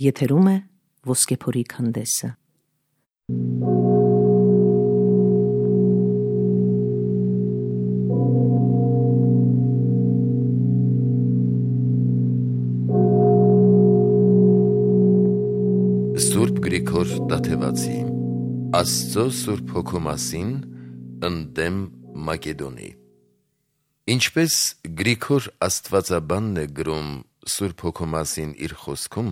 Եթերում է Ոսկեփորի քանդեսը։ Սուրբ Գրիգոր Տաթևացի Աստծո Սուրբ Հոգու մասին ընդդեմ Մակեդոնի։ Ինչպես Գրիգոր Աստվածաբանն է գրում Սուրբ Հոգու մասին իր խոսքում,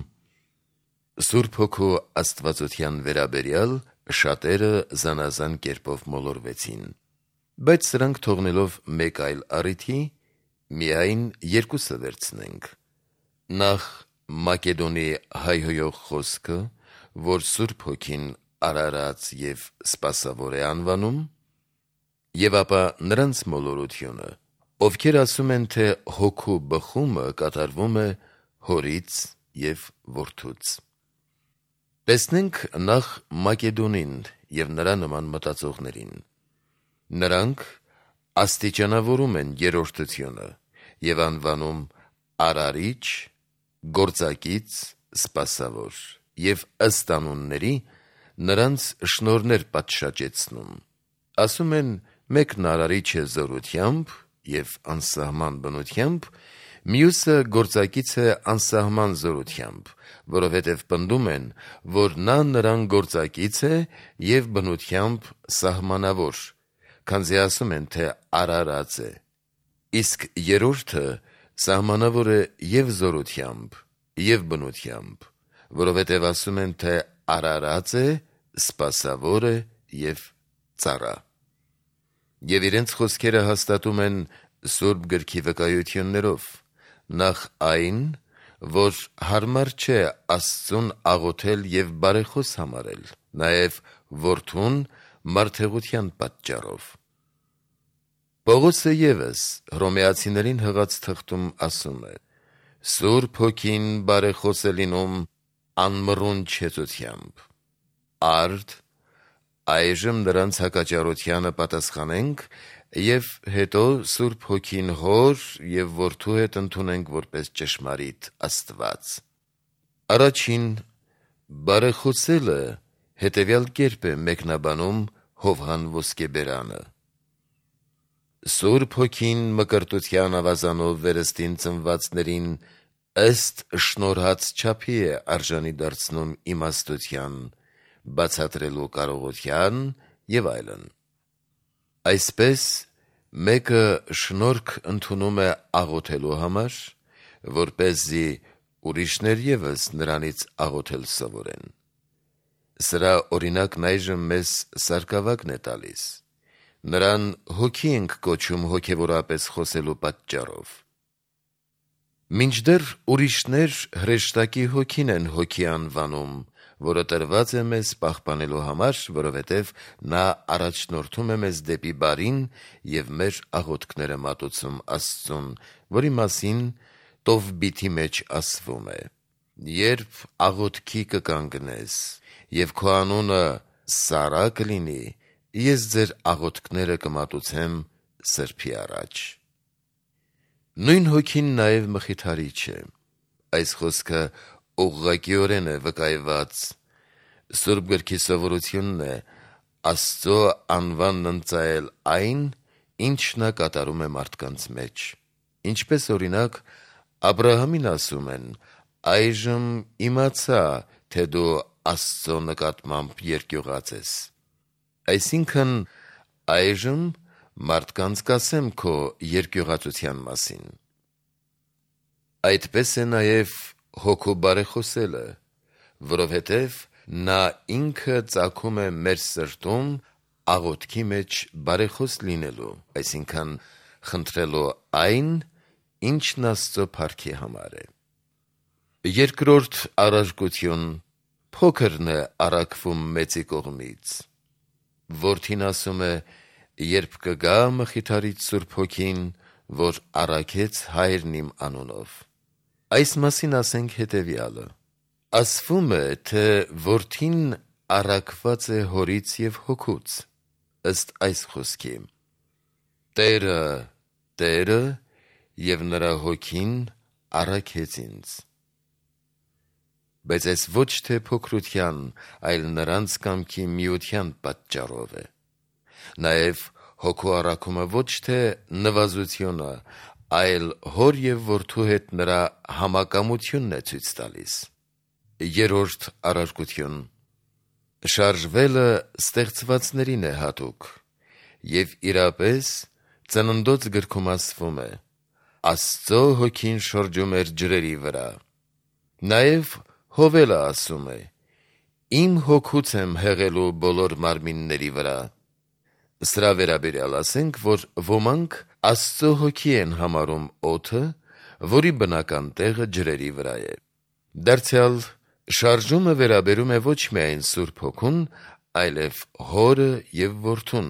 Սուրբ Հոգու աստվածության վերաբերյալ շատերը զանազան կերպով մոլորվեցին, բայց սրանք թողնելով մեկ այլ առիթի, միայն երկուսը վերցնենք. նախ Մակեդոնի հայհոյող խոսքը, որ Սուրբ Հոգին արարած և սպասավոր է անվանում, և ապա նրանց մոլորությունը, ովքեր ասում են, թե Հոգու բխումը կատարվում է Հորից և Որդուց։ Տեսնենք նախ Մակեդոնին և նրա նման մտածողներին։ Նրանք աստիճանավորում են երրորդությունը և անվանում արարիչ, գործակից, սպասավոր և ըստ անունների նրանց շնորհներ պատշաճեցնում։ Ասում են, մեկն արարիչ է զորությամբ և անսահման բնությամբ, մյուսը գործակից է անսահման զորությամբ, որովհետև պնդում են, որ նա նրան գործակից է և բնությամբ սահմանավոր, քանզի ասում են, թե արարած է, իսկ երրորդը սահմանավոր է և զորությամբ, և բնությամբ, որովհետև ասում են, թե արարած է, սպասավոր է և ծառա։ Եվ իրենց խոսքերը հաստատում են Սուրբ Գրքի վկայություններով, նախ այն, որ հարմար չէ Աստծուն աղոթել և բարեխոս համարել, նաև Որդուն մարդեղության պատճառով։ Պողոսը ևս Հռոմեացիներին հղած թղթում ասում է. Սուրբ Հոգին բարեխոս է լինում անմռուն չեցությամբ։ Արդ այժմ նրանց հակաճառությանը պատասխանենք և հետո Սուրբ Հոգին Հոր և Որդու հետ ընդունենք որպես ճշմարիտ Աստված։ Առաջին բարեխոսելը հետևյալ կերպ է մեկնաբանում Հովհան Ոսկեբերանը. Սուրբ Հոգին մկրտության ավազանով վերստին ծնվածներին ըստ շնորհած չափի է արժանի դարձնում իմաստության, բացատրելու կարողության և այլն։ Այսպես մեկը շնորհք ընդունում է աղոթելու համար, որպեսզի ուրիշներ ևս նրանից աղոթել սովորեն։ Սրա օրինակն այժմ մեզ Սարգսակն է տալիս։ Նրան Հոգի ենք կոչում հոգևորապես խոսելու պատճառով։ Մինչդեռ ուրիշներ հրեշտակի հոգին են Հոգի անվանում, որը տրված է մեզ պահպանելու համար, որովհետև նա առաջնորդում է մեզ դեպի բարին և մեր աղոթքները մատուցում Աստծուն, որի մասին Տովբիթի մեջ ասվում է. երբ աղոթքի կկանգնես և քո անունը Սառա կլինի, ես ձեր աղոթքները կմատուցեմ սրբի առաջ։ Նույն Հոգին նաև մխիթարիչ է։ Այս խոսքը ուղղակիորեն է վկայված։ Սուրբ Գրքի սովորությունն է Աստծո անվանն ընծայել այն, ինչ նա կատարում է մարդկանց մեջ։ Ինչպես օրինակ Աբրահամին ասում են. այժմ իմացա, թե դու Աստծո նկատմամբ երկյուղած ես։ Այսինքն այժմ մարդկանց կասեմ քո երկյուղածության մասին։ Այդպես է նաև Հոգու բարեխոսելը, որովհետև նա ինքը ծագում է մեր սրտում աղոթքի մեջ բարեխոս լինելու, այսինքն խնդրելու այն, ինչն Աստծո փառքի համար է։ Երկրորդ առարկություն փոքրն է առաքվում մեծի կողմից։ Որդին ասում է. երբ կգա մխիթարիչ Սուրբ Հոգին, որ առաքեց Հայրն իմ անունով։ Այս մասին ասենք հետևյալը. ասվում է, թե Որդին առաքված է Հորից և Հոգուց, ըստ այս խոսքի. Տերը, Տերը և նրա Հոգին առաքեց ինձ։ բայց այս ոչ թե փոքրության, այլ նրանց կամքի միության պատճառով է։ Նաև հոգու առաքումը ոչ թե նվազություն է, այլ հոր և որդու հետ նրա համակամությունն է ցույց տալիս։ Երրորդ առարկություն. շարժվելը ստեղծվածներին է հատուկ, և իրապես Ծննդոց գրքում ասվում է. Աստծո հոգին շրջում էր ջրերի վրա։ Նաև Հովելը ասում է. իմ հոգուց եմ հեղելու բոլոր մարմինների վրա։ Սրա վերաբերյալ ասենք, որ ոմանք Աստծո հոգի են համարում օդը, որի բնական տեղը ջրերի վրա է։ Դարձյալ շարժումը վերաբերում է ոչ միայն Սուրբ Հոգուն, այլև Հորը և Որդուն,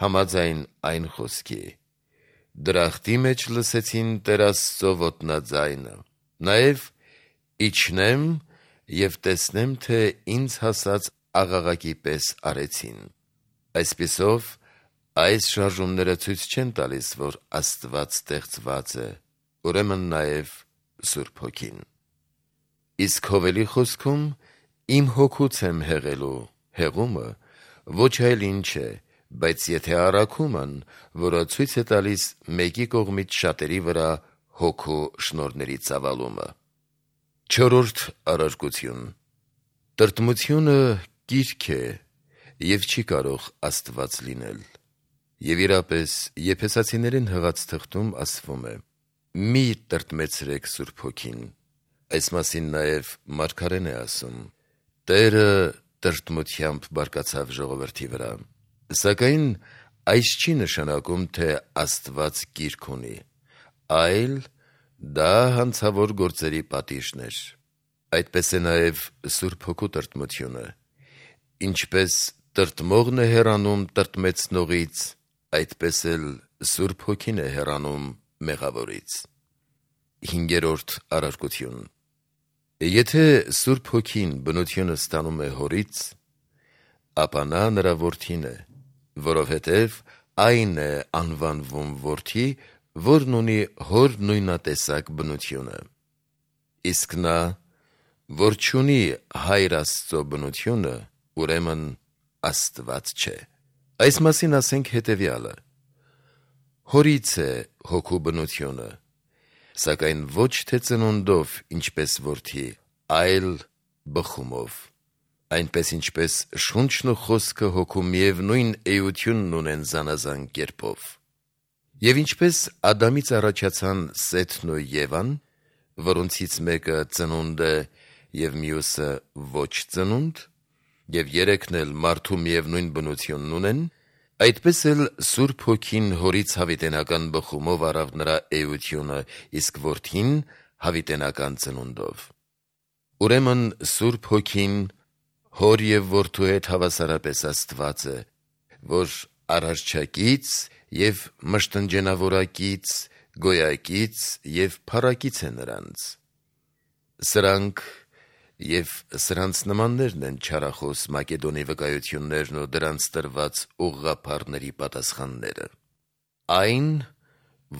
համաձայն այն խոսքի. դրախտի մեջ լսեցին Տեր Աստծո ոտնաձայնը, նաև իջնեմ և տեսնեմ, թե ինձ հասած աղաղակի պես արեցին։ Այսպիսով, այս շարժումները ցույց չեն տալիս, որ Աստված ստեղծված է, ուրեմն նաև Սուրբ Հոգին։ Իսկ Հովելի խոսքում իմ հոգուց եմ հեղելու հեղումը ոչ այլ ինչ է, բայց եթե առաքումն, որը ցույց է տալիս մեկի կողմից շատերի վրա հոգու շնորհների ծավալումը։ Չորրորդ առարկություն. տրտմությունը կիրք է և չի կարող Աստված լինել։ Եվ իրապես Եփեսացիներին հղած թղթում ասվում է. մի տրտմեցրեք Սուրբ Հոգին։ Այս մասին նաև Մարգարեն է ասում. Տերը տրտմությամբ բարկացավ ժողովրդի վրա։ Սակայն այս չի նշանակում, թե Աստված կիրք ունի, այլ դա հանցավոր գործերի պատիժն էր։ Այդպես է նաև Սուրբ Հոգու տրտմությունը։ Ինչպես տրտմողն է հեռանում տրտմեցնողից, այդպես էլ Սուրբ Հոգին է հեռանում մեղավորից։ Հինգերորդ առարկություն. Եթե Սուրբ Հոգին բնությունը ստանում է Հորից, ապա նա նրա Որդին է, որովհետև այն է անվանվում Որդի, որն ունի Հոր նույնատեսակ բնությունը։ Իսկ նա, որ չունի Հայր Աստծո բնությունը, ուրեմն Աստված չէ։ Այս մասին ասենք հետևյալը. Հորից է հոգու բնությունը, սակայն ոչ թե ծնունդով, ինչպես որդի, այլ բխումով։ Այնպես ինչպես շունչն ու խոսքը հոգու միևնույն էությունն ունեն զանազան կերպով։ Եվ ինչպես Ադամից առաջացան Սեթն ու Եվան, որոնցից մեկը ծնունդ է և մյուսը ոչ ծնունդ, և երեքն էլ մարդու միևնույն բնությունն ունեն, այդպես էլ Սուրբ Հոգին Հորից հավիտենական բխումով առավ նրա էությունը, իսկ Որդին հավիտենական ծնունդով։ Ուրեմն Սուրբ Հոգին Հոր և Որդու հետ հավասարապես Աստված է, որ արարչակից և մշտնջենավորակից, գոյակից և փառակից է նրանց։ Սրանք և սրանց նմաններն են չարախոս Մակեդոնի վկայություններն ու դրանց տրված ուղղափառների պատասխանները։ Այն,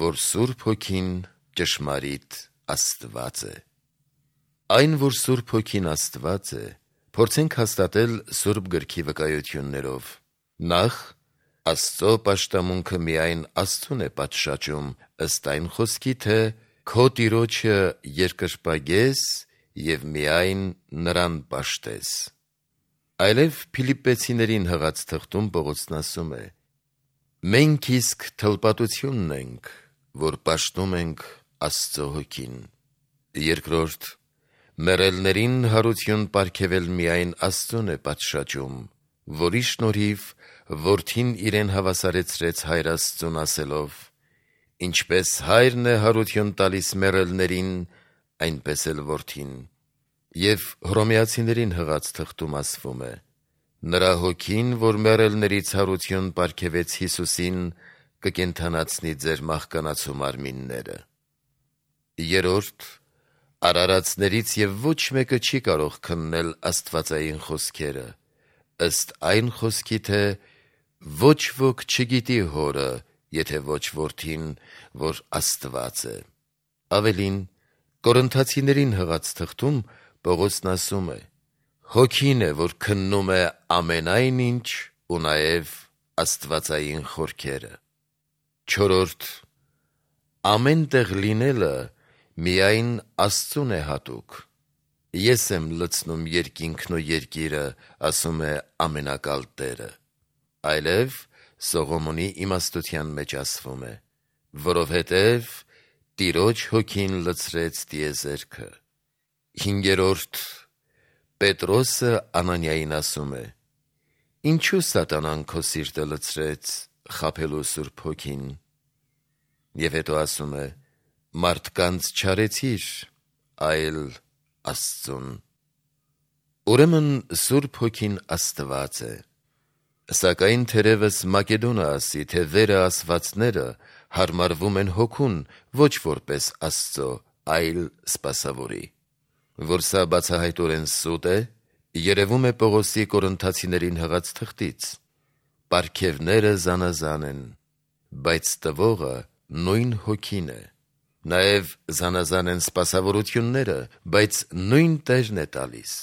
որ Սուրբ Հոգին ճշմարիտ Աստված է։ Այն, որ Սուրբ Հոգին Աստված է, փորձենք հաստատել Սուրբ Գրքի վկայություններով։ Նախ, Աստծո պաշտամունքը միայն Աստծուն է պատշաճում, ըստ այն խոսքի, թե «Քո Տիրոջը երկրպագես և միայն նրան պաշտես»։ Այլև Փիլիպպեցիներին հղած թղթում Պողոսն ասում է. «Մենք իսկ թլպատությունն ենք, որ պաշտում ենք Աստծո Հոգին»։ Երկրորդ, մեռելներին հարություն պարգևել միայն Աստծուն է պատշաճում, որի շնորհիվ Որդին իրեն հավասարեցրեց Հայր Աստծուն ասելով. «Ինչպես Հայրն է հարություն տալիս մեռելներին, այնպես էլ Որդին»։ Եվ Հռոմեացիներին հղած թղթում ասվում է. «Նրա Հոգին, որ մեռելներից հարություն պարգևեց Հիսուսին, կկենդանացնի ձեր մահկանացու մարմինները»։ Երրորդ, արարածներից և ոչ մեկը չի կարող քննել աստվածային խոսքերը, ըստ այն խոսքի, թե «Ոչ ոք չգիտի Հորը, եթե ոչ Որդին, որ Աստված է»։ Ավելին, Կորինթացիներին հղած թղթում Պողոսն ասում է. հոգին է, որ քննում է ամենայն ինչ ու նաև աստվածային խորքերը։ 4. Ամեն տեղ լինելը միայն Աստծուն է հատուկ։ Ես եմ լցնում երկինքն ու երկիրը, ասում է ամենակալ Տերը։ Այլև Սողոմոնի իմաստության մեջ ասվում է. որովհետև Տիրոջ հոգին լցրեց տիեզերքը։ 5. Պետրոսը Անանիային ասում է. ինչու սատանան քո սիրտը լցրեց խաբելու Սուրբ Հոգին։ Եվ հետո ասում է. մարդկանց չարեցիր, այլ Աստծուն։ Ուրեմն Սուրբ Հոգին Աստված է։ Սակայն թերևս Մակեդոնը ասի, թե վերը ասվածները հարմարվում են հոգուն, ոչ որպես Աստծո, այլ սպասավորի։ Որ սա բացահայտորեն սուտ է, երևում է Պողոսի Կորինթացիներին հղած թղթից. պարգևները զանազան են, բայց տվողը նույն Հոգին է։ Նաև զանազան են սպասավորությունները, բայց նույն Տերն է տալիս։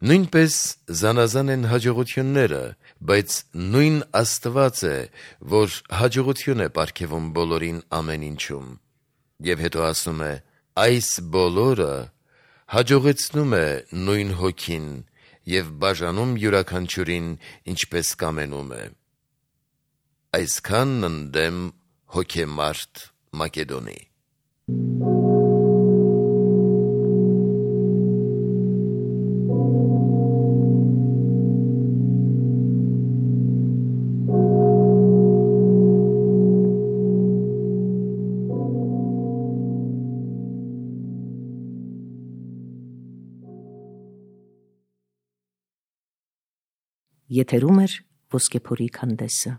Նույնպես զանազան են հաջողությունները, բայց նույն Աստված է, որ հաջողություն է պարգևում բոլորին ամեն ինչում։ Եվ հետո ասում է. այս բոլորը հաջողեցնում է նույն Հոգին և բաժանում յուրաքանչյուրին ինչպես կամենում է։ Այսքանն ընդդեմ հոգեմարտ Մակեդոնի։ Եթերում է Ոսկեփորի քանդեսը։